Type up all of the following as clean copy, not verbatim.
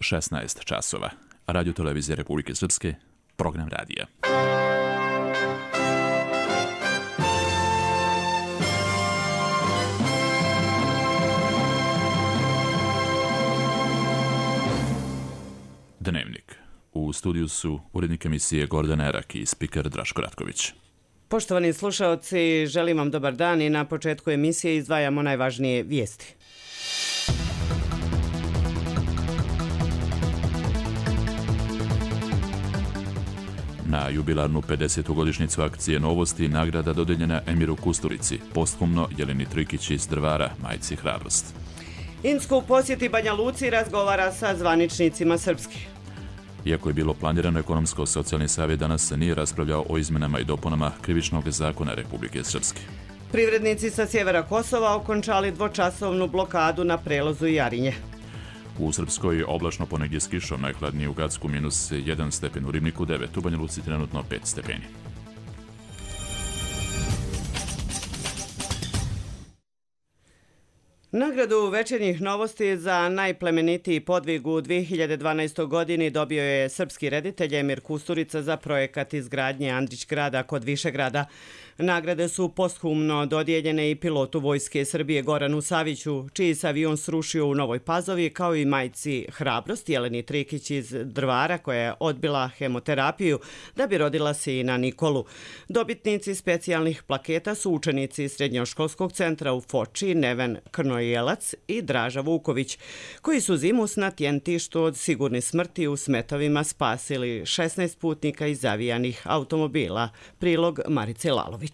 16 časova. Radio Televizije Republike Srpske, program radija. Dnevnik. U studiju su urednik emisije Gordana Erak i spiker Draško Ratković. Poštovani slušaoci, želim vam dobar dan i na početku emisije izdvajamo najvažnije vijesti. Na jubilarnu 50. godišnjicu akcije Novosti nagrada dodeljena Emiru Kusturici, posthumno Jeleni Trikić iz Drvara, majci Hrabrost. Insku u posjeti Banja Luci razgovara sa zvaničnicima Srpske. Iako je bilo planirano, Ekonomsko-socijalni savjet danas nije raspravljao o izmenama i dopunama Krivičnog zakona Republike Srpske. Privrednici sa sjevera Kosova okončali dvočasovnu blokadu na prelazu Jarinje. U Srpskoj oblačno ponegdje s kišom, najhladnije u Gacku -1 stepen, u Ribniku 9, u Banja Luci trenutno 5 stepeni. Nagradu Večernjih novosti za najplemenitiji podvig u 2012. godini dobio je srpski reditelj Emir Kusturica za projekat izgradnje Andrić grada kod Višegrada. Nagrade su posthumno dodijeljene i pilotu Vojske Srbije Goranu Saviću, čiji se avion srušio u Novoj Pazovi, kao i majci Hrabrost Jeleni Trikić iz Drvara, koja je odbila hemoterapiju da bi rodila sina Nikolu. Dobitnici specijalnih plaketa su učenici Srednjoškolskog centra u Foči, Neven Krnojelac i Draža Vuković, koji su zimus na Tjentištu od sigurne smrti u Smetovima spasili 16 putnika iz zavijanih automobila. Prilog Marice Lalović.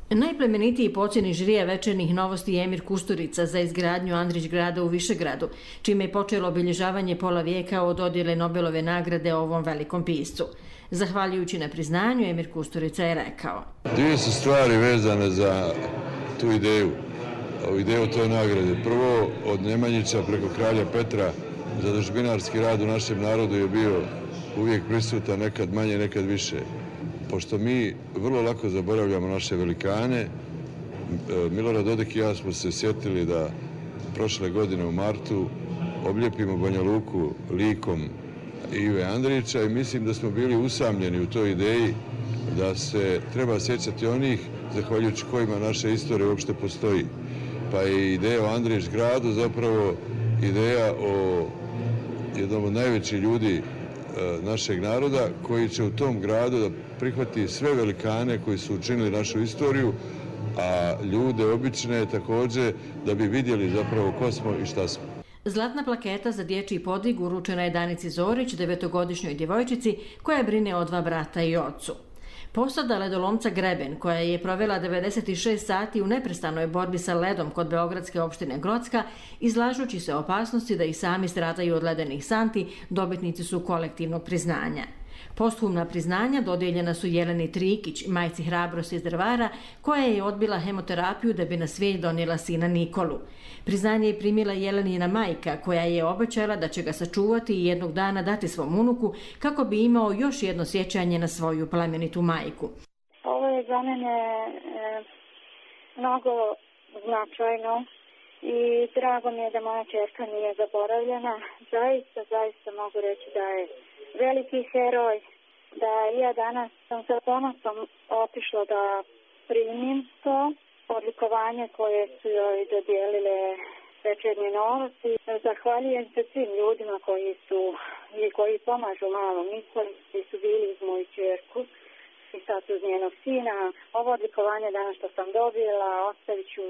Najplemenitiji po ocjeni žirija Večernjih novosti je Emir Kusturica za izgradnju Andrić grada u Višegradu, čime je počelo obilježavanje pola vijeka od dodjele Nobelove nagrade ovom velikom piscu. Zahvaljujući na priznanju, Emir Kusturica je rekao: Dvije su stvari vezane za tu ideju, ideju toj nagrade. Prvo, od Nemanjića preko kralja Petra, zadužbinarski rad u našem narodu je bio uvijek prisutan, nekad manje, nekad više. Pošto mi vrlo lako zaboravljamo naše velikane, Milorad Dodik i ja smo se sjetili da prošle godine u martu oblijepimo Banja Luku likom Ive Andrića i mislim da smo bili usamljeni u toj ideji da se treba sjećati onih zahvaljujući kojima naša istorija uopšte postoji. Pa je ideja o Andrić gradu zapravo ideja o jednom od najvećih ljudi našeg naroda, koji će u tom gradu da prihvati sve velikane koji su učinili našu istoriju, a ljude obične također, da bi vidjeli zapravo ko smo i šta smo. Zlatna plaketa za dječji podvig uručena je Danici Zorić, 9-godišnjoj djevojčici koja brine o 2 brata i ocu. Posada ledolomca Greben, koja je provela 96 sati u neprestanoj borbi sa ledom kod beogradske opštine Grocka, izlažući se opasnosti da i sami stradaju od ledenih santi, dobitnici su kolektivnog priznanja. Posthumna priznanja dodijeljena su Jeleni Trikić, majci Hrabrost iz Drvara, koja je odbila hemoterapiju da bi na svijet donijela sina Nikolu. Priznanje je primila Jelenina majka, koja je obećala da će ga sačuvati i jednog dana dati svom unuku kako bi imao još jedno sjećanje na svoju plemenitu majku. Ovo je za mene mnogo značajno i drago mi je da moja ćerka nije zaboravljena. Zaista mogu reći da je veliki heroj, da ja danas sam sa ponosom otišla da primim to odlikovanje koje su joj dodijelile Večernje novosti. Zahvaljujem se svim ljudima koji pomažu malom Nikoli, koji su bili uz moju ćerku i sad uz njenog sina. Ovo odlikovanje danas što sam dobila ostavit ću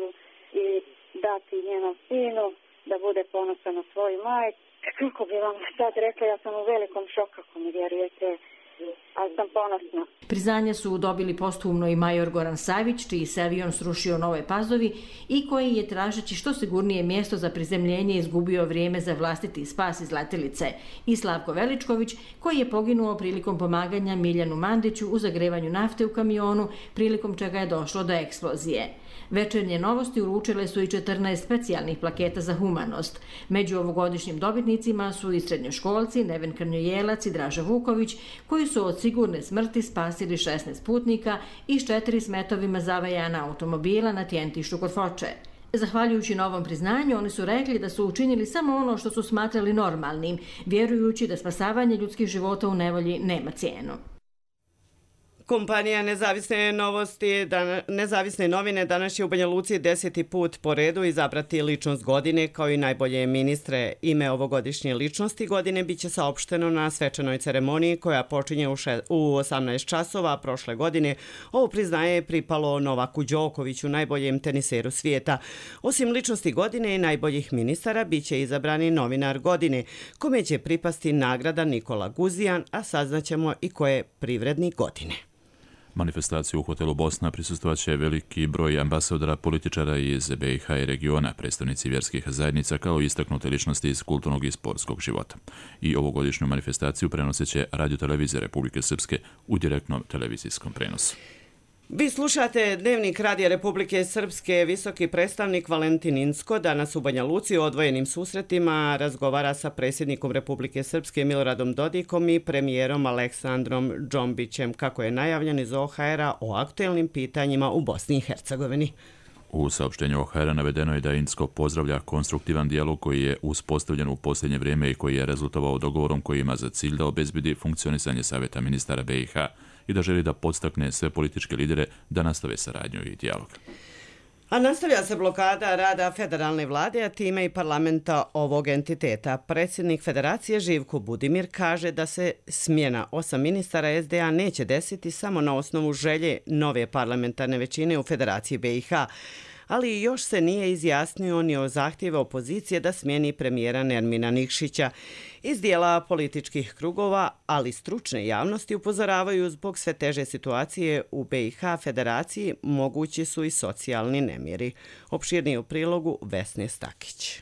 i dati njenom sinu da bude ponosan na svoju majku. Kako bi vam sad rekla, ja sam u velikom šoku, ako mi vjerujete, ali sam ponosna. Priznanje su dobili posthumno i major Goran Savić, čiji se avion srušio u Novoj Pazovi i koji je, tražeći što sigurnije mjesto za prizemljenje, izgubio vrijeme za vlastiti spas iz letjelice, i Slavko Veličković, koji je poginuo prilikom pomaganja Miljanu Mandiću u zagrevanju nafte u kamionu, prilikom čega je došlo do eksplozije. Večernje novosti uručile su i 14 specijalnih plaketa za humanost. Među ovogodišnjim dobitnicima su i srednjoškolci Neven Krnojelac i Draža Vuković, koji su od sigurne smrti spasili 16 putnika i s 4 smetovima zavajana automobila na Tjentištu kod Foče. Zahvaljujući novom priznanju, oni su rekli da su učinili samo ono što su smatrali normalnim, vjerujući da spasavanje ljudskih života u nevolji nema cijenu. Kompanija Nezavisne novine danas će u Banja Luci 10. put po redu izabrati ličnost godine kao i najbolje ministre. Ime ovogodišnje ličnosti godine biće saopšteno na svečanoj ceremoniji koja počinje u 18 časova prošle godine. Ovo priznaje je pripalo Novaku Đokoviću, najboljem teniseru svijeta. Osim ličnosti godine i najboljih ministara biće izabrani novinar godine, kome će pripasti nagrada Nikola Guzijan, a saznaćemo i ko je privrednik godine. Manifestaciju u hotelu Bosna prisustvovaće veliki broj ambasadora, političara iz BiH i regiona, predstavnici vjerskih zajednica kao i istaknute ličnosti iz kulturnog i sportskog života. I ovogodišnju manifestaciju prenosit će Radio-televizija Republike Srpske u direktnom televizijskom prenosu. Vi slušate Dnevnik Radija Republike Srpske. Visoki predstavnik Valentin Incko danas u Banja Luci o odvojenim susretima razgovara sa predsjednikom Republike Srpske Miloradom Dodikom i premijerom Aleksandrom Džombićem, kako je najavljen iz OHR-a o aktuelnim pitanjima u Bosni i Hercegovini. U saopštenju OHR-a navedeno je da Incko pozdravlja konstruktivan dijalog koji je uspostavljen u posljednje vrijeme i koji je rezultovao dogovorom koji ima za cilj da obezbedi funkcionisanje Savjeta ministara BiH i da želi da podstakne sve političke lidere da nastave saradnju i dijalog. A nastavlja se blokada rada federalne vlade, a time i parlamenta ovog entiteta. Predsjednik federacije Živko Budimir kaže da se smjena 8 ministara SDA neće desiti samo na osnovu želje nove parlamentarne većine u Federaciji BiH, ali još se nije izjasnio ni o zahtjeve opozicije da smijeni premijera Nermina Nikšića. Iz dijela političkih krugova, ali stručne javnosti upozoravaju zbog sve teže situacije u BiH Federaciji mogući su i socijalni nemiri. Opširniji u prilogu Vesne Stakić.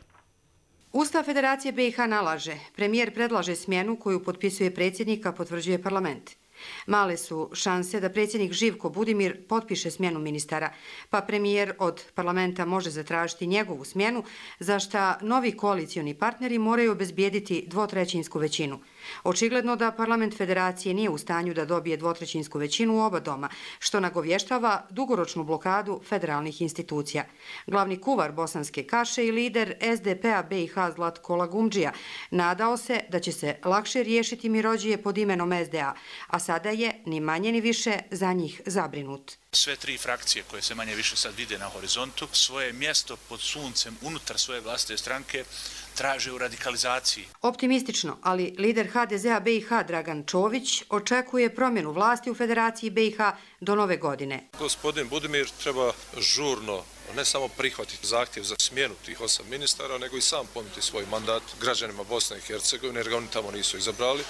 Ustav Federacije BiH nalaže, premijer predlaže smjenu koju potpisuje predsjednik, a potvrđuje parlament. Male su šanse da predsjednik Živko Budimir potpiše smjenu ministara, pa premijer od parlamenta može zatražiti njegovu smjenu, za šta novi koalicioni partneri moraju obezbijediti dvotrećinsku većinu. Očigledno da parlament federacije nije u stanju da dobije dvotrećinsku većinu u oba doma, što nagovještava dugoročnu blokadu federalnih institucija. Glavni kuvar bosanske kaše i lider SDP-a BiH Zlatko Lagumdžija nadao se da će se lakše riješiti mirođije pod imenom SDA, a sada je ni manje ni više za njih zabrinut. Sve tri frakcije koje se manje više sad vide na horizontu, svoje mjesto pod suncem unutar svoje vlastite stranke traže u radikalizaciji. Optimistično, ali lider HDZ-a BiH Dragan Čović očekuje promjenu vlasti u Federaciji BiH do nove godine. Gospodin Budimir treba žurno ne samo prihvatiti zahtjev za smjenu tih 8 ministara, nego i sam ponuditi svoj mandat građanima Bosne i Hercegovine, jer ga oni tamo nisu izabrali.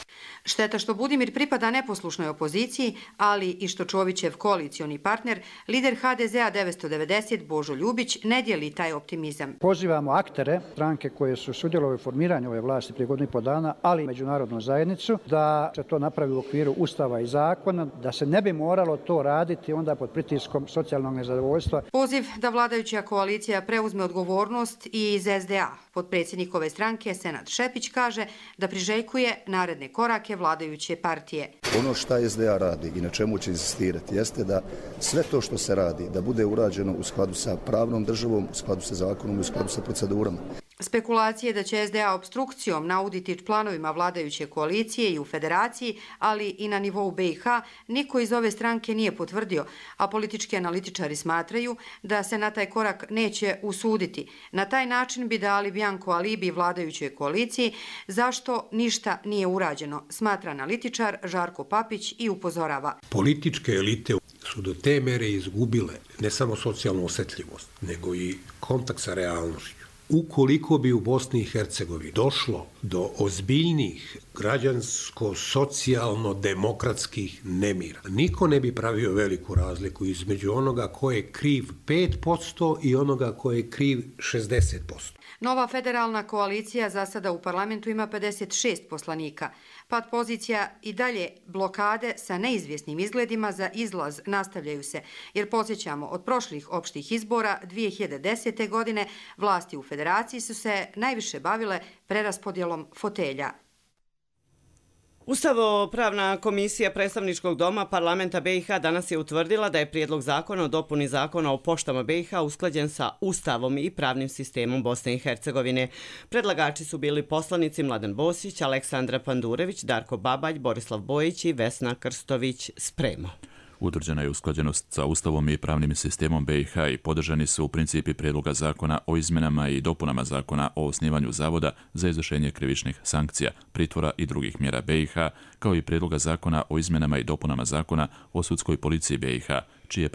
Šteta što Budimir pripada neposlušnoj opoziciji, ali i što Čovićev koalicioni partner, lider HDZ-a 990 Božo Ljubić, ne dijeli taj optimizam. Pozivamo aktere, stranke koje su sudjelovali u formiranju ove vlasti prije godinu i pol dana, ali i međunarodnu zajednicu, da se to napravi u okviru Ustava i zakona, da se ne bi moralo to raditi onda pod pritiskom socijalnog nezadovoljstva. Poziv da vladajuća koalicija preuzme odgovornost i iz SDA. Potpredsjednik ove stranke Senad Šepić kaže da priželjkuje naredne korake vladajuće partije. Ono što SDA radi i na čemu će insistirati jeste da sve to što se radi da bude urađeno u skladu sa pravnom državom, u skladu sa zakonom, u skladu sa procedurama. Spekulacije da će SDA obstrukcijom nauditi planovima vladajuće koalicije i u federaciji, ali i na nivou BiH, niko iz ove stranke nije potvrdio, a politički analitičari smatraju da se na taj korak neće usuditi. Na taj način bi dali bjanko alibi vladajućoj koaliciji, zašto ništa nije urađeno, smatra analitičar Žarko Papić i upozorava. Političke elite su do te mere izgubile ne samo socijalnu osjetljivost, nego i kontakt sa realnošću. Ukoliko bi u Bosni i Hercegovini došlo do ozbiljnih građansko-socijalno-demokratskih nemira, niko ne bi pravio veliku razliku između onoga ko je kriv 5% i onoga ko je kriv 60%. Nova federalna koalicija za sada u parlamentu ima 56 poslanika. Pad pozicija i dalje blokade sa neizvjesnim izgledima za izlaz nastavljaju se, jer podsjećamo, od prošlih opštih izbora 2010. godine vlasti u federaciji su se najviše bavile preraspodjelom fotelja. Ustavno-pravna komisija predstavničkog doma parlamenta BiH danas je utvrdila da je prijedlog zakona o dopuni zakona o poštama BiH usklađen sa Ustavom i pravnim sistemom Bosne i Hercegovine. Predlagači su bili poslanici Mladen Bosić, Aleksandra Pandurević, Darko Babalj, Borislav Bojić i Vesna Krstović-Spremo. Utvrđena je usklađenost sa Ustavom i pravnim sistemom BiH i podržani su u principi prijedloga zakona o izmjenama i dopunama zakona o osnivanju zavoda za izvršenje krivičnih sankcija, pritvora i drugih mjera BiH, kao i prijedloga zakona o izmjenama i dopunama zakona o sudskoj policiji BiH, čiji je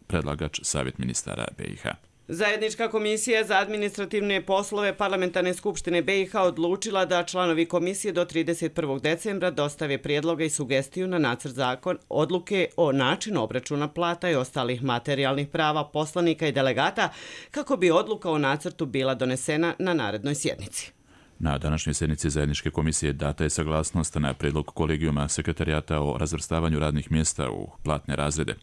predlagač Savjet ministara BiH. Zajednička komisija za administrativne poslove Parlamentarne skupštine BiH odlučila da članovi komisije do 31. decembra dostave prijedloge i sugestiju na nacrt zakon odluke o načinu obračuna plata i ostalih materijalnih prava poslanika i delegata kako bi odluka o nacrtu bila donesena na narednoj sjednici. Na današnjoj sjednici zajedničke komisije data je saglasnost na prijedlog kolegijuma sekretarijata o razvrstavanju radnih mjesta u platne razrede.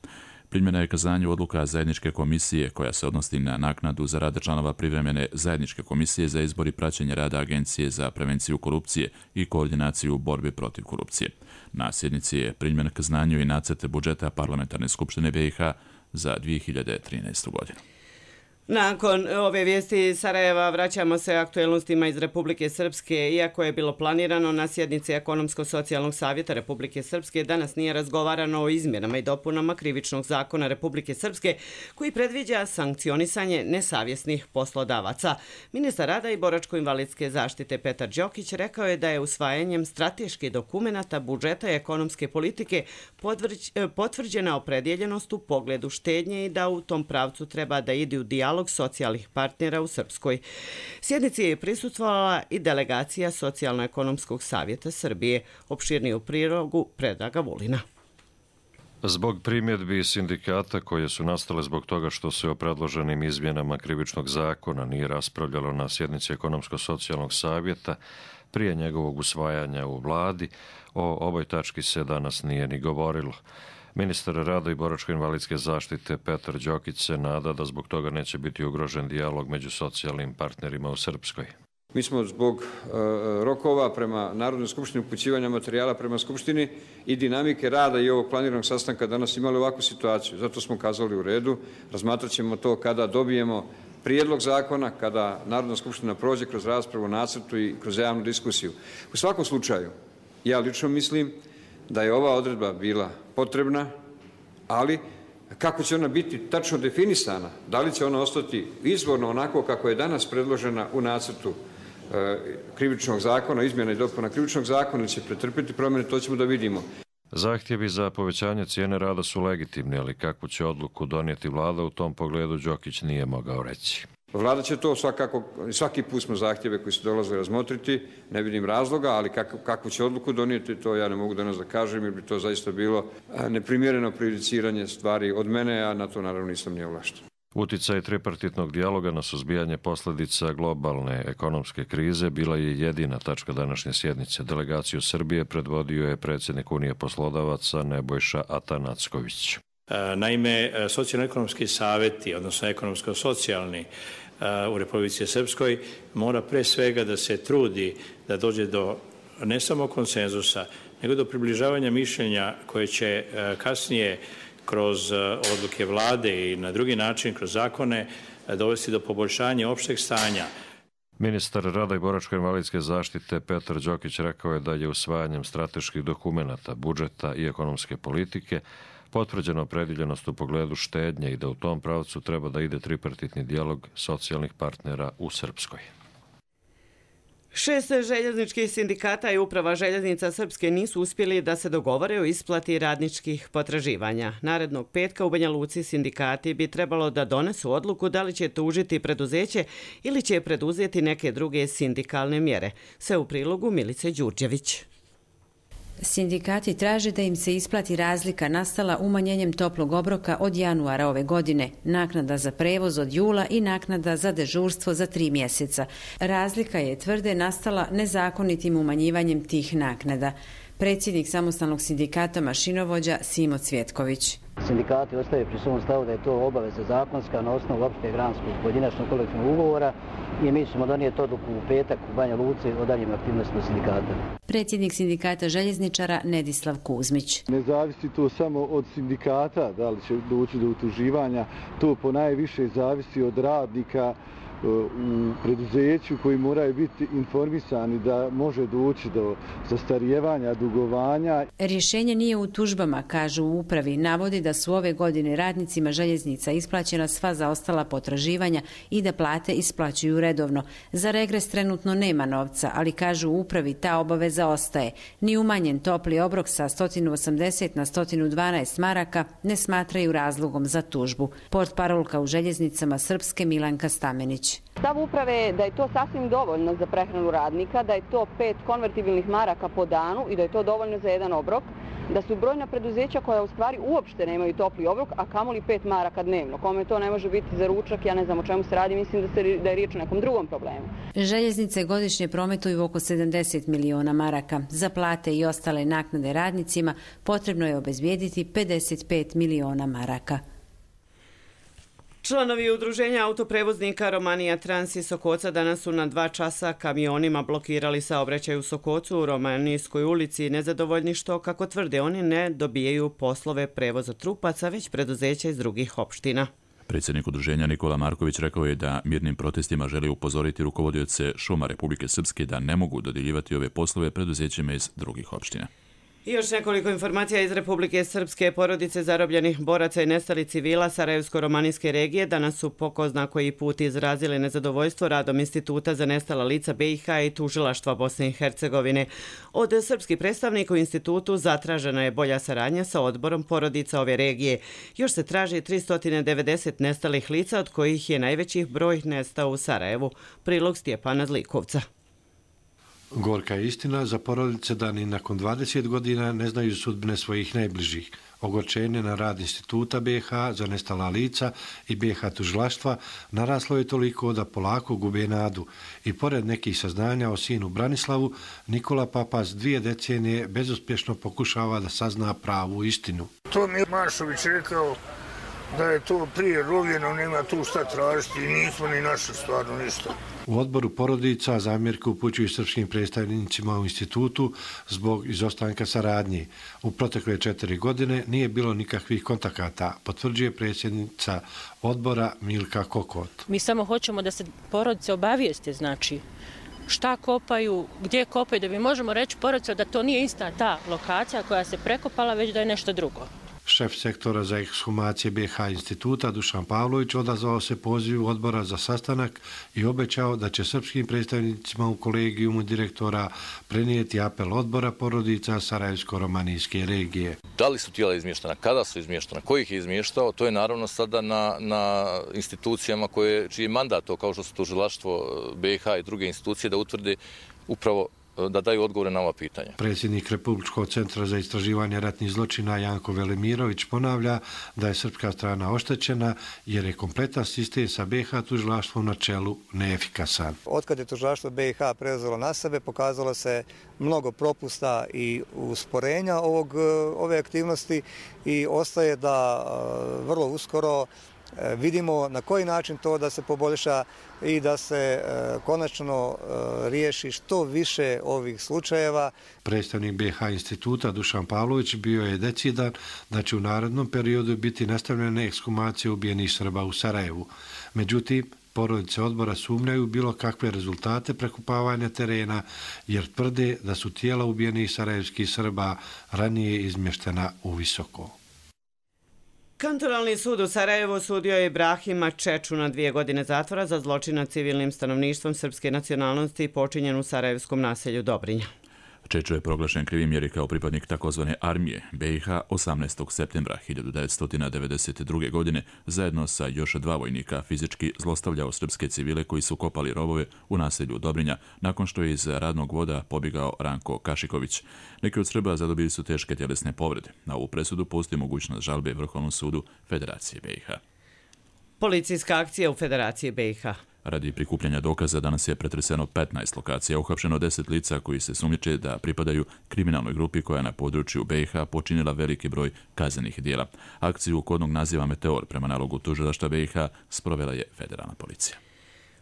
Primljena je kazanju odluka zajedničke komisije koja se odnosi na naknadu za rad članova privremene zajedničke komisije za izbor i praćenje rada Agencije za prevenciju korupcije i koordinaciju u borbi protiv korupcije. Na sjednici je primljen kazanju i nacrt budžeta Parlamentarne skupštine BiH za 2013. godinu. Nakon ove vijesti iz Sarajeva vraćamo se aktuelnostima iz Republike Srpske. Iako je bilo planirano na sjednici Ekonomsko-socijalnog savjeta Republike Srpske, danas nije razgovarano o izmjenama i dopunama krivičnog zakona Republike Srpske koji predviđa sankcionisanje nesavjesnih poslodavaca. Ministar rada i boračko-invalidske zaštite Petar Đokić rekao je da je usvajanjem strateških dokumenata budžeta i ekonomske politike potvrđena opredjeljenost u pogledu štednje i da u tom pravcu treba da ide u dijalog socijalnih partnera u Srpskoj. Sjednici je prisustvovala i delegacija Socijalno-ekonomskog savjeta Srbije. Opširniju prilogu Predraga Vulina. Zbog primjedbi sindikata koje su nastale zbog toga što se o predloženim izmjenama krivičnog zakona nije raspravljalo na sjednici Ekonomsko-socijalnog savjeta prije njegovog usvajanja u vladi, o ovoj tački se danas nije ni govorilo. Ministar rada i boračko-invalidske zaštite Petar Đokić se nada da zbog toga neće biti ugrožen dijalog među socijalnim partnerima u Srpskoj. Mi smo zbog rokova prema Narodnoj skupštini, upućivanja materijala prema skupštini i dinamike rada i ovog planiranog sastanka danas imali ovakvu situaciju. Zato smo kazali u redu, razmatrat ćemo to kada dobijemo prijedlog zakona, kada Narodna skupština prođe kroz raspravu o nacrtu i kroz javnu diskusiju. U svakom slučaju, ja lično mislim da je ova odredba bila potrebna, ali kako će ona biti tačno definisana, da li će ona ostati izvorno onako kako je danas predložena u nacrtu krivičnog zakona, izmjena i dopuna krivičnog zakona, ili će pretrpiti promjene, to ćemo da vidimo. Zahtjevi za povećanje cijene rada su legitimni, ali kakvu će odluku donijeti vlada u tom pogledu Đokić nije mogao reći. Vlada će to svakako, svaki put smo zahtjeve koji su dolazili razmotriti, ne vidim razloga, ali kakvu će odluku donijeti, to ja ne mogu danas da kažem, jer bi to zaista bilo neprimjereno prejudiciranje stvari od mene, a na to naravno nisam ni ovlašten. Uticaj tripartitnog dijaloga na suzbijanje posljedica globalne ekonomske krize bila je jedina tačka današnje sjednice. Delegaciju Srbije predvodio je predsjednik Unije poslodavaca Nebojša Atanacković. Naime, socijalno-ekonomski savjeti, odnosno ekonomsko-socijalni u Republici Srpskoj mora pre svega da se trudi da dođe do ne samo konsenzusa, nego do približavanja mišljenja koje će kasnije kroz odluke vlade i na drugi način kroz zakone dovesti do poboljšanja opšteg stanja. Ministar rada i boračko-invalidske zaštite Petar Đokić rekao je da je usvajanjem strateških dokumenata, budžeta i ekonomske politike potvrđena opredjeljenost u pogledu štednje i da u tom pravcu treba da ide tripartitni dijalog socijalnih partnera u Srpskoj. 6 željezničkih sindikata i uprava željeznica Srpske nisu uspjeli da se dogovore o isplati radničkih potraživanja. Narednog petka u Banja Luci sindikati bi trebalo da donesu odluku da li će tužiti preduzeće ili će preduzeti neke druge sindikalne mjere. Sve u prilogu Milice Đurđević. Sindikati traže da im se isplati razlika nastala umanjenjem toplog obroka od januara ove godine, naknada za prevoz od jula i naknada za dežurstvo za 3 mjeseca. Razlika je, tvrde, nastala nezakonitim umanjivanjem tih naknada. Predsjednik samostalnog sindikata mašinovođa Simo Cvjetković. Sindikati ostaju pri svom stavu da je to obaveza zakonska na osnovu opšte granskog pojedinačnog kolektivnog ugovora i mi ćemo donijeti odluku u petak u Banja Luci o daljim aktivnostima sindikata. Predsjednik sindikata željezničara Nedislav Kuzmić. Ne zavisi to samo od sindikata, da li će doći do utuživanja, to ponajviše zavisi od radnika u preduzeću koji moraju biti informisani da može doći do zastarijevanja, dugovanja. Rješenje nije u tužbama, kažu u upravi. Navodi da su ove godine radnicima željeznica isplaćena sva zaostala potraživanja i da plate isplaćuju redovno. Za regres trenutno nema novca, ali kažu u upravi ta obaveza ostaje. Ni umanjen topli obrok sa 180 na 112 maraka ne smatraju razlogom za tužbu. Portparolka u željeznicama Srpske Milanka Stamenić. Stav uprave je da je to sasvim dovoljno za prehranu radnika, da je to 5 konvertibilnih maraka po danu i da je to dovoljno za jedan obrok, da su brojna preduzeća koja u stvari uopšte nemaju topli obrok, a kamoli 5 maraka dnevno. Kome to ne može biti za ručak, ja ne znam o čemu se radi, mislim da je riječ o nekom drugom problemu. Željeznice godišnje prometuju oko 70 miliona maraka. Za plate i ostale naknade radnicima potrebno je obezbijediti 55 miliona maraka. Članovi udruženja autoprevoznika Romanija Trans iz Sokoca danas su na 2 časa kamionima blokirali saobraćaj u Sokocu u Romanijskoj ulici, nezadovoljni što, kako tvrde oni, ne dobijaju poslove prevoza trupaca, već preduzeća iz drugih opština. Predsjednik udruženja Nikola Marković rekao je da mirnim protestima želi upozoriti rukovodioce šuma Republike Srpske da ne mogu dodjeljivati ove poslove preduzećima iz drugih opština. I još nekoliko informacija iz Republike Srpske. Porodice zarobljenih boraca i nestalih civila Sarajevsko-romanijske regije danas su po ko zna koji put izrazili nezadovoljstvo radom Instituta za nestala lica BiH i tužilaštva Bosne i Hercegovine. Od srpskih predstavnika u institutu zatražena je bolja saradnja sa odborom porodica ove regije. Još se traži 390 nestalih lica, od kojih je najveći broj nestao u Sarajevu. Prilog Stjepana Zlikovca. Gorka je istina za porodice da ni nakon 20 godina ne znaju sudbine svojih najbližih. Ogorčenje na rad Instituta BiH za nestala lica i BiH tužilaštva naraslo je toliko da polako gube nadu. I pored nekih saznanja o sinu Branislavu, Nikola Papas 2 decenije bezuspješno pokušava da sazna pravu istinu. To mi je Mašović rekao da je to prije rovljeno, nema tu šta tražiti i nismo ni našli stvarno ništa. U odboru porodica zamjerke upućuju srpskim predstavnicima u institutu zbog izostanka saradnje. U protekle 4 godine nije bilo nikakvih kontakata, potvrđuje predsjednica odbora Milka Kokot. Mi samo hoćemo da se porodice obavijeste, znači šta kopaju, gdje kopaju, da mi možemo reći porodice da to nije ista ta lokacija koja se prekopala, već da je nešto drugo. Šef sektora za ekshumacije BiH instituta Dušan Pavlović odazvao se pozivu odbora za sastanak i obećao da će srpskim predstavnicima u kolegijumu direktora prenijeti apel odbora porodica Sarajevsko-romanijske regije. Da li su tijela izmještena, kada su izmještena, ko ih je izmještao, to je naravno sada na institucijama čiji je mandat, kao što su tužilaštvo BiH i druge institucije, da utvrde upravo da daju odgovore na ova pitanja. Predsjednik Republičkog centra za istraživanje ratnih zločina Janko Velimirović ponavlja da je srpska strana oštećena jer je kompletan sistem sa BiH tužilaštvom na čelu neefikasan. Otkad je tužilaštvo BiH preuzelo na sebe, pokazalo se mnogo propusta i usporenja ove aktivnosti i ostaje da vrlo uskoro vidimo na koji način to da se poboljša i da se konačno riješi što više ovih slučajeva. Predstavnik BiH instituta Dušan Pavlović bio je decidan da će u narednom periodu biti nastavljene ekshumacije ubijenih Srba u Sarajevu. Međutim, porodice odbora sumnjaju bilo kakve rezultate prekopavanja terena jer tvrde da su tijela ubijenih sarajevskih Srba ranije izmještena u Visoko. Kantonalni sud u Sarajevu sudio je Ibrahima Čeču na 2 godine zatvora za zločin nad civilnim stanovništvom srpske nacionalnosti počinjen u sarajevskom naselju Dobrinja. Čečo je proglašen krivim jer je kao pripadnik takozvane armije BiH 18. septembra 1992. godine zajedno sa još 2 vojnika fizički zlostavljao srpske civile koji su kopali rovove u naselju Dobrinja nakon što je iz radnog voda pobjegao Ranko Kašiković. Neki od Srba zadobili su teške tjelesne povrede. Na ovu presudu postoji mogućnost žalbe Vrhovnom sudu Federacije BiH. Policijska akcija u Federaciji BiH. Radi prikupljanja dokaza danas je pretreseno 15 lokacija, uhapšeno 10 lica koji se sumnjiče da pripadaju kriminalnoj grupi koja je na području BiH počinila veliki broj kaznenih dijela. Akciju kodnog naziva Meteor prema nalogu tužilaštva BiH sprovela je federalna policija.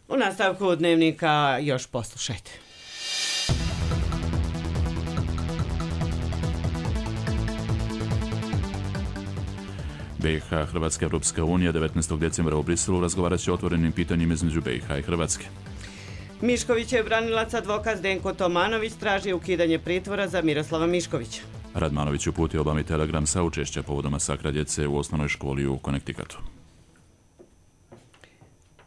U nastavku dnevnika još poslušajte. BiH, Hrvatska, Evropska unija 19. decembra u Briselu razgovarat će o otvorenim pitanjima između BiH i Hrvatske. Miškovićev branilac advokat Zdenko Tomanović traži ukidanje pritvora za Miroslava Miškovića. Radmanović uputio Obami telegram saučešća povodom masakra djece u osnovnoj školi u Connecticutu.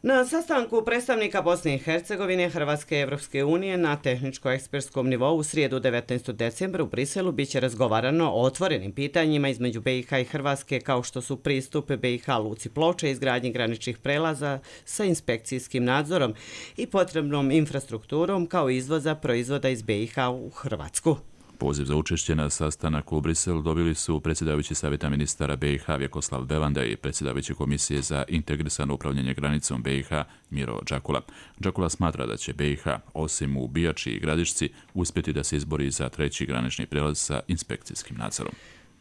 Na sastanku predstavnika Bosne i Hercegovine, Hrvatske i Evropske unije na tehničko-ekspertskom nivou u srijedu 19. decembra u Briselu biće razgovarano o otvorenim pitanjima između BiH i Hrvatske kao što su pristup BiH luci Ploče, izgradnji graničnih prelaza sa inspekcijskim nadzorom i potrebnom infrastrukturom kao izvoza proizvoda iz BiH u Hrvatsku. Poziv za učešće na sastanak u Briselu dobili su predsjedavajući savjeta ministara BiH Vjekoslav Bevanda i predsjedavajući komisije za integrisano upravljanje granicom BiH Miro Đakula. Đakula smatra da će BiH, osim u Bijači i Gradišci, uspjeti da se izbori za treći granični prijelaz sa inspekcijskim nadzorom.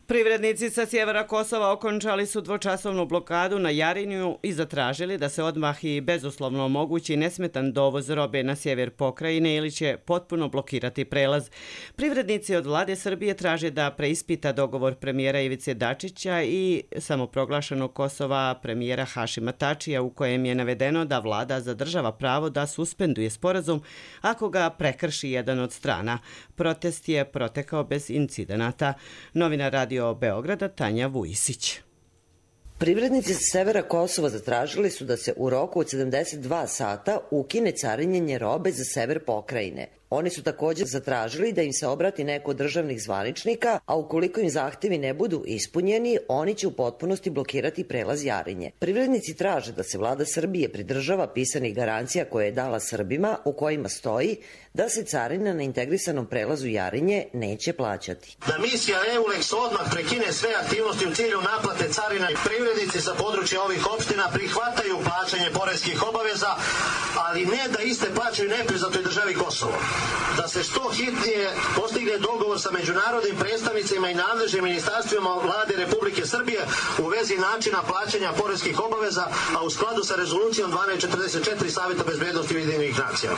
Privrednici sa sjevera Kosova okončali su dvočasovnu blokadu na Jarinju i zatražili da se odmah i bezuslovno omogući nesmetan dovoz robe na sjever pokrajine ili će potpuno blokirati prelaz. Privrednici od vlade Srbije traže da preispita dogovor premijera Ivice Dačića i samoproglašenog Kosova premijera Hašima Tačija u kojem je navedeno da vlada zadržava pravo da suspenduje sporazum ako ga prekrši jedan od strana. Protest je protekao bez incidenata. Novina Radio Beograda Tanja Vujisić. Privrednici sa severa Kosova zatražili su da se u roku od 72 sata ukine carinjenje robe za sever pokrajine. Oni su također zatražili da im se obrati neko od državnih zvaničnika, a ukoliko im zahtjevi ne budu ispunjeni, oni će u potpunosti blokirati prelaz Jarinje. Privrednici traže da se vlada Srbije pridržava pisanih garancija koje je dala Srbima, u kojima stoji da se carina na integrisanom prelazu Jarinje neće plaćati. Da misija EULEX odmah prekine sve aktivnosti u cilju naplate carina i privrednici sa područja ovih opština prihvataju plaćanje poreskih obaveza, ali ne da iste plaćaju nepriznatoj državi Kosovo. Da se što hitnije postigne dogovor sa međunarodnim predstavnicima i nadležnim ministarstvima vlade Republike Srbije u vezi načina plaćanja poreskih obaveza, a u skladu sa rezolucijom 1244 Savjeta bezbednosti Ujedinjenih nacija.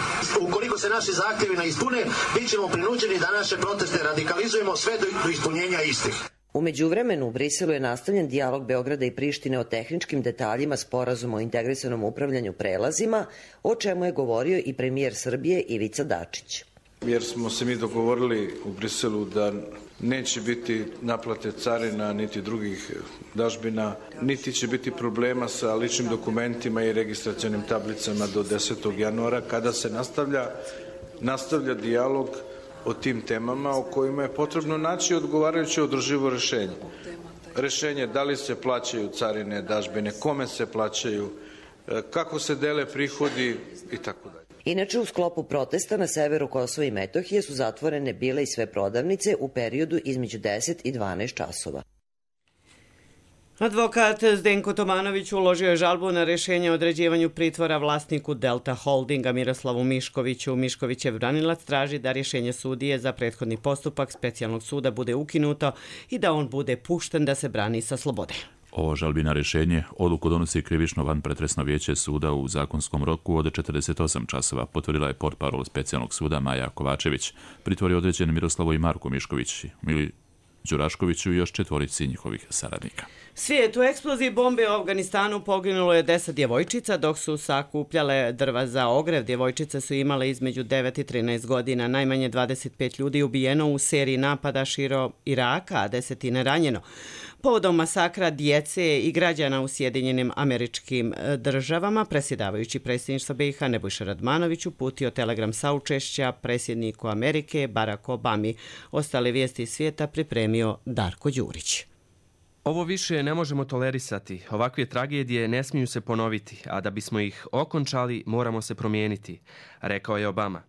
Ukoliko se naši zahtjevi ne ispune, bit ćemo prinuđeni da naše proteste radikalizujemo sve do ispunjenja istih. U međuvremenu u Briselu je nastavljen dijalog Beograda i Prištine o tehničkim detaljima sporazuma o integrisanom upravljanju prelazima, o čemu je govorio i premijer Srbije Ivica Dačić. Jer smo se mi dogovorili u Briselu da neće biti naplate carina niti drugih dažbina, niti će biti problema sa ličnim dokumentima i registracionim tablicama do 10. januara kada se nastavlja dijalog o tim temama o kojima je potrebno naći odgovarajuće održivo rješenje. Rješenje da li se plaćaju carine, dažbine, kome se plaćaju, kako se dele prihodi i tako dalje. Inače, u sklopu protesta na severu Kosova i Metohije su zatvorene bile i sve prodavnice u periodu između 10 i 12 časova. Advokat Zdenko Tomanović uložio je žalbu na rješenje o određivanju pritvora vlasniku Delta Holdinga Miroslavu Miškoviću. Miškovićev branilac traži da rješenje sudije za prethodni postupak specijalnog suda bude ukinuto i da on bude pušten da se brani sa slobode. Ovo žalbina rješenje odluku donosi krivično vanpretresno vijeće suda u zakonskom roku od 48 časova, potvrdila je portparol specijalnog suda Maja Kovačević. Pritvor je određen Miroslavu i Marku Mišković, Mili Đuraškoviću i još 4 njihovih saradnika. Svijet u eksploziji bombe u Afganistanu poginulo je 10 djevojčica dok su sakupljale drva za ogrev. Djevojčice su imale između 9 i 13 godina. Najmanje 25 ljudi ubijeno u seriji napada širom Iraka, a 10 ranjeno. Povodom masakra djece i građana u Sjedinjenim Američkim Državama, predsjedavajući predsjedništva BiH Nebojša Radmanović uputio telegram saučešća predsjedniku Amerike Baracku Obami. Ostale vijesti iz svijeta pripremio Darko Đurić. Ovo više ne možemo tolerisati. Ovakve tragedije ne smiju se ponoviti, a da bismo ih okončali moramo se promijeniti, rekao je Obama.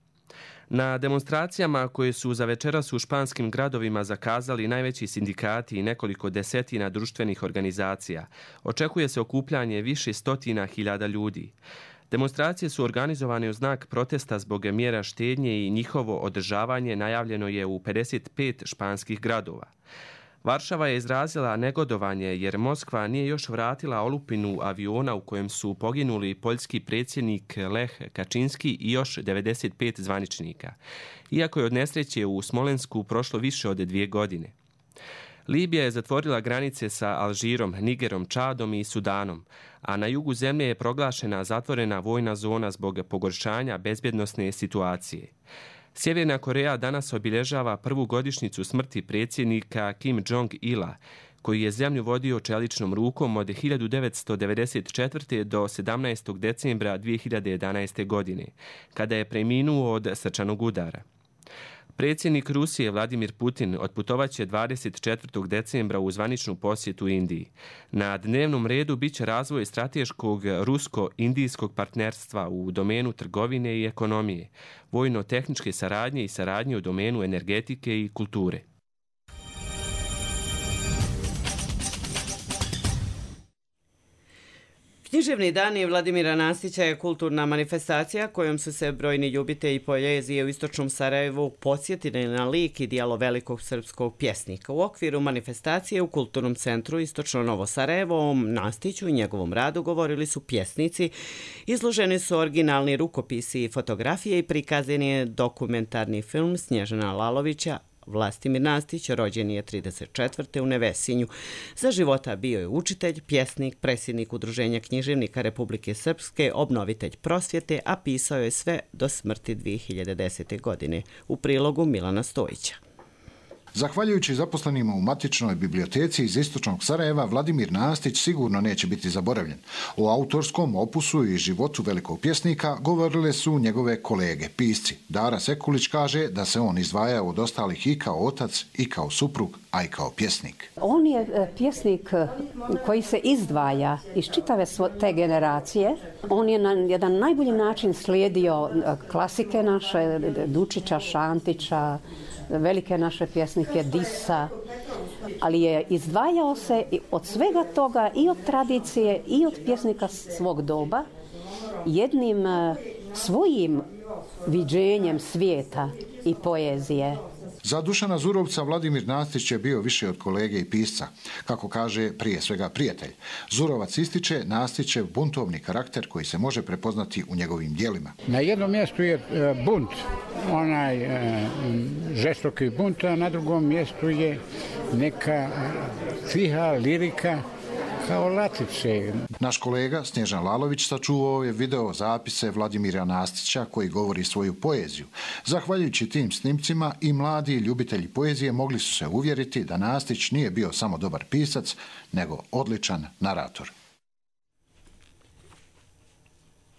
Na demonstracijama koje su za večeras u španskim gradovima zakazali najveći sindikati i nekoliko desetina društvenih organizacija, očekuje se okupljanje više stotina hiljada ljudi. Demonstracije su organizovane u znak protesta zbog mjera štednje i njihovo održavanje najavljeno je u 55 španskih gradova. Varšava je izrazila negodovanje jer Moskva nije još vratila olupinu aviona u kojem su poginuli poljski predsjednik Lech Kačinski i još 95 zvaničnika, iako je od nesreće u Smolensku prošlo više od 2 godine. Libija je zatvorila granice sa Alžirom, Nigerom, Čadom i Sudanom, a na jugu zemlje je proglašena zatvorena vojna zona zbog pogoršanja bezbjednosne situacije. Sjeverna Koreja danas obilježava prvu godišnjicu smrti predsjednika Kim Jong-ila, koji je zemlju vodio čeličnom rukom od 1994. do 17. decembra 2011. godine, kada je preminuo od srčanog udara. Predsjednik Rusije Vladimir Putin otputovaće 24. decembra u zvaničnu posjetu Indiji. Na dnevnom redu biće razvoj strateškog rusko-indijskog partnerstva u domenu trgovine i ekonomije, vojno-tehničke saradnje i saradnje u domenu energetike i kulture. Književni dani Vladimira Nastića je kulturna manifestacija kojom su se brojni ljubitelji poezije u istočnom Sarajevu podsjetili na lik i djelo velikog srpskog pjesnika. U okviru manifestacije u Kulturnom centru Istočno Novo Sarajevo o Nastiću i njegovom radu govorili su pjesnici, izloženi su originalni rukopisi i fotografije i prikazan je dokumentarni film Snježana Lalovića. Vlastimir Nastić rođen je 34. u Nevesinju. Za života bio je učitelj, pjesnik, predsjednik Udruženja književnika Republike Srpske, obnovitelj prosvjete, a pisao je sve do smrti 2010. godine. U prilogu Milana Stojića. Zahvaljujući zaposlenima u matičnoj biblioteci iz istočnog Sarajeva, Vladimir Nastić sigurno neće biti zaboravljen. O autorskom opusu i životu velikog pjesnika govorile su njegove kolege, pisci. Dara Sekulić kaže da se on izdvaja od ostalih i kao otac, i kao suprug, a i kao pjesnik. On je pjesnik koji se izdvaja iz čitave te generacije. On je na jedan najbolji način slijedio klasike naše, Dučića, Šantića, velike naše pjesnike Disa, ali je izdvajao se od svega toga i od tradicije i od pjesnika svog doba jednim svojim viđenjem svijeta i poezije. Za Dušana Zurovca Vladimir Nastić je bio više od kolege i pisca, kako kaže prije svega prijatelj. Zurovac ističe Nastićev buntovni karakter koji se može prepoznati u njegovim djelima. Na jednom mjestu je bunt, onaj žestoki bunt, a na drugom mjestu je neka tiha lirika kao latice. Naš kolega Snježan Lalović sačuvao je video zapise Vladimira Nastića koji govori svoju poeziju. Zahvaljujući tim snimcima i mladi ljubitelji poezije mogli su se uvjeriti da Nastić nije bio samo dobar pisac, nego odličan narator.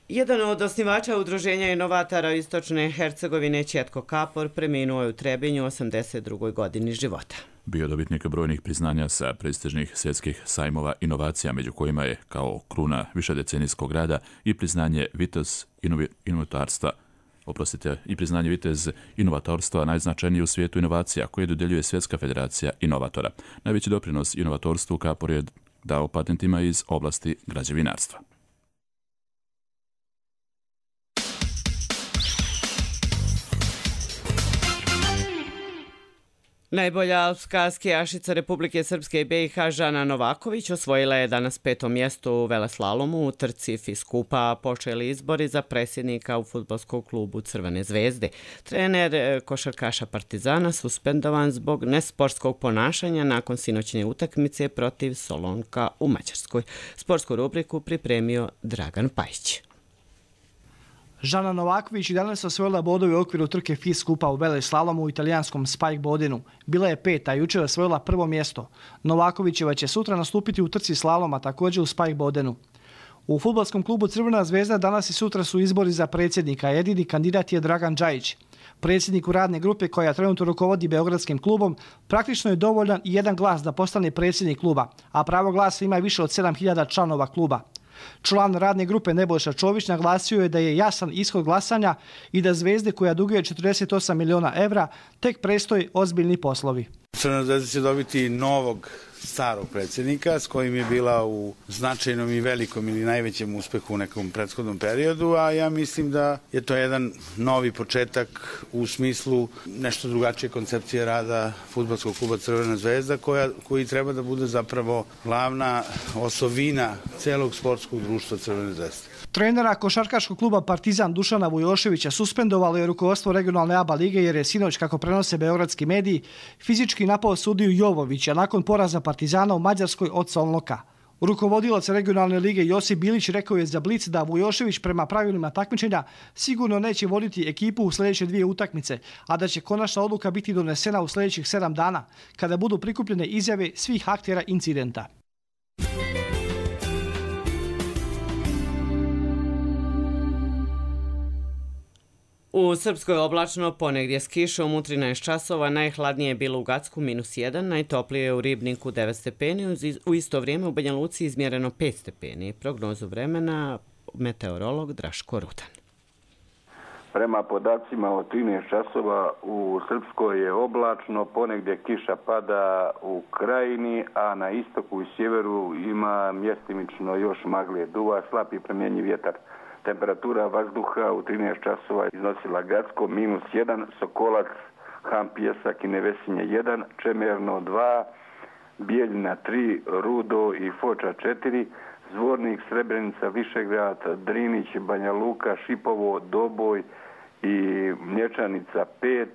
Jedan od osnivača Udruženja inovatora Istočne Hercegovine, Četko Kapor, preminuo je u Trebinju 82. godini života. Bio dobitnik brojnih priznanja sa prestižnih svjetskih sajmova inovacija, među kojima je kao kruna višedecenijskog rada i priznanje Vitez inovatorstva najznačajnije u svijetu inovacija koje dodjeljuje Svjetska federacija inovatora. Najveći doprinos inovatorstvu Kapor je dao patentima iz oblasti građevinarstva. Najbolja alpska skijašica Republike Srpske i BiH Žana Novaković osvojila je danas 5. mjesto u veleslalomu u trci FIS Kupa. Počeli izbori za predsjednika u fudbalskom klubu Crvene zvezde. Trener košarkaša Partizana suspendovan zbog nesportskog ponašanja nakon sinoćne utakmice protiv Solonka u Mađarskoj. Sportsku rubriku pripremio Dragan Pajić. Žana Novaković i danas osvojila bodove u okviru trke FIS Kupa u veleslalomu u italijanskom Spike Bodenu. Bila je 5, a jučer osvojila 1. mjesto. Novakovićeva će sutra nastupiti u trci slaloma, također u Spike Bodenu. U fudbalskom klubu Crvena zvezda danas i sutra su izbori za predsjednika. Jedini kandidat je Dragan Džajić. Predsjedniku radne grupe koja trenutno rukovodi Beogradskim klubom praktično je dovoljan i jedan glas da postane predsjednik kluba, a pravo glasa ima više od 7000 članova kluba. Član radne grupe Nebojša Čović naglasio je da je jasan ishod glasanja i da Zvezde, koja duguje 48 miliona evra, tek predstoji ozbiljni poslovi. Crvena zvezda će dobiti novog starog predsjednika s kojim je bila u značajnom i velikom ili najvećem uspehu u nekom prethodnom periodu, a ja mislim da je to jedan novi početak u smislu nešto drugačije koncepcije rada fudbalskog kluba Crvena zvezda koji treba da bude zapravo glavna osovina celog sportskog društva Crvene zvezde. Trenera košarkaškog kluba Partizan Dušana Vujoševića suspendovalo je rukovodstvo regionalne ABA lige jer je sinoć, kako prenose beogradski mediji, fizički napao sudiju Jovovića nakon poraza Partizana u Mađarskoj od Solnoka. Rukovodilac regionalne lige Josip Bilić rekao je za Blic da Vujošević prema pravilima takmičenja sigurno neće voditi ekipu u sljedeće 2 utakmice, a da će konačna odluka biti donesena u sljedećih 7 dana, kada budu prikupljene izjave svih aktera incidenta. U Srpskoj oblačno, ponegdje s kišom u 13 časova, najhladnije je bilo u Gacku -1, najtoplije je u Ribniku 9 stepeni, u isto vrijeme u Banja Luci izmjereno 5 stepeni. Prognozu vremena meteorolog Draško Rudan. Prema podacima od 13 časova u Srpskoj je oblačno, ponegdje kiša pada u Krajini, a na istoku i sjeveru ima mjestimično još magle, duva slab i promjenjiv vjetar. Temperatura vazduha u 13 časova iznosila Gacko -1, Sokolac, Han Pijesak i Nevesinje 1, Čemerno 2, Bijeljina 3, Rudo i Foča 4, Zvornik, Srebrenica, Višegrad, Drinić, Banja Luka, Šipovo, Doboj i Mlječanica 5,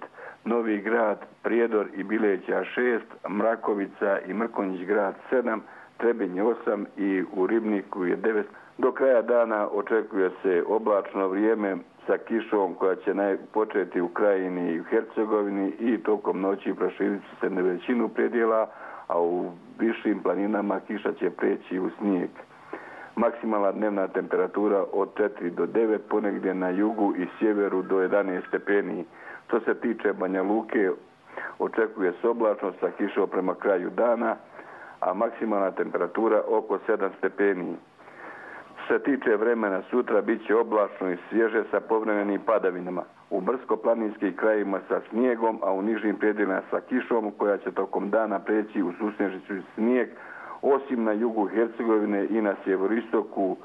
Novi Grad, Prijedor i Bileća 6, Mrakovica i Mrkonjić grad 7, Trebinj 8 i u Ribniku je 9. Do kraja dana očekuje se oblačno vrijeme sa kišom koja će početi u Krajini i u Hercegovini i tokom noći proširiti se na većinu predjela, a u višim planinama kiša će preći u snijeg. Maksimalna dnevna temperatura od 4 do 9, ponegdje na jugu i sjeveru do 11 stepeni. Što se tiče Banja Luke, očekuje se oblačno sa kišom prema kraju dana, a maksimalna temperatura oko 7 stepeni. Što se tiče vremena, sutra bit će oblačno i svježe sa povremenim padavinama. U brdsko-planinskim krajima sa snijegom, a u nižim predjelima sa kišom koja će tokom dana preći u susnežicu i snijeg, osim na jugu Hercegovine i na sjeveristoku,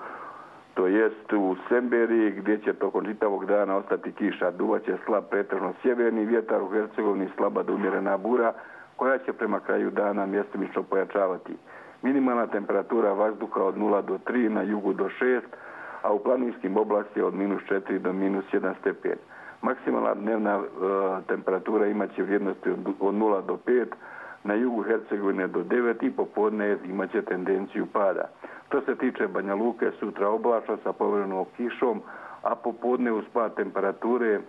to jest u Semberiji, gdje će tokom čitavog dana ostati kiša. Duvaće slab pretežno sjeverni vjetar, u Hercegovini slaba do umjerena bura, koja će prema kraju dana mjestimično pojačavati. Minimalna temperatura vazduha od 0 do 3, na jugu do 6, a u planinskim oblastima od -4 do -1 stepen. Maksimalna dnevna temperatura imaće vrijednosti od 0 do 5, na jugu Hercegovine do 9 i popodne imaće tendenciju pada. Što se tiče Banja Luke, sutra oblačno sa povremenom kišom, a popodne uz pad temperature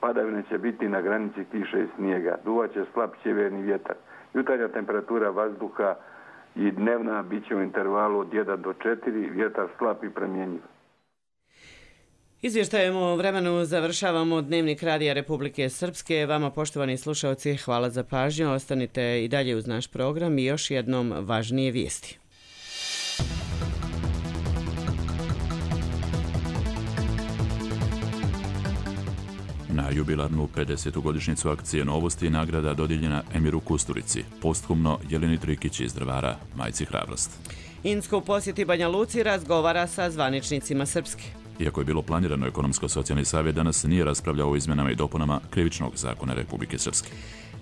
padavine će biti na granici kiše i snijega. Duvaće slab sjeverni vjetar. Jutarnja temperatura vazduha i dnevna bit će u intervalu od 1 do 4, vjetar slab i promjenjiv. Izvještajem o vremenu završavamo Dnevnik Radija Republike Srpske. Vama, poštovani slušalci, hvala za pažnju. Ostanite i dalje uz naš program i još jednom važnije vijesti. Na jubilarnu 50. godišnjicu akcije Novosti nagrada dodijeljena Emiru Kusturici, posthumno Jeleni Trikić iz Drvara, majci Hrabrost. Insko u posjeti Banja Luci razgovara sa zvaničnicima Srpske. Iako je bilo planirano, Ekonomsko-socijalni savjet danas nije raspravljao o izmjenama i dopunama Krivičnog zakona Republike Srpske.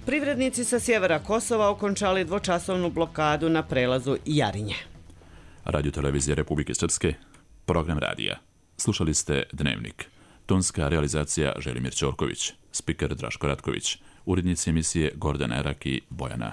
Privrednici sa sjevera Kosova okončali dvočasovnu blokadu na prelazu Jarinje. Radio televizija Republike Srpske, program radija. Slušali ste Dnevnik. Tonska realizacija Želimir Ćorković, spiker Draško Ratković, urednici emisije Gordana Erak i Bojana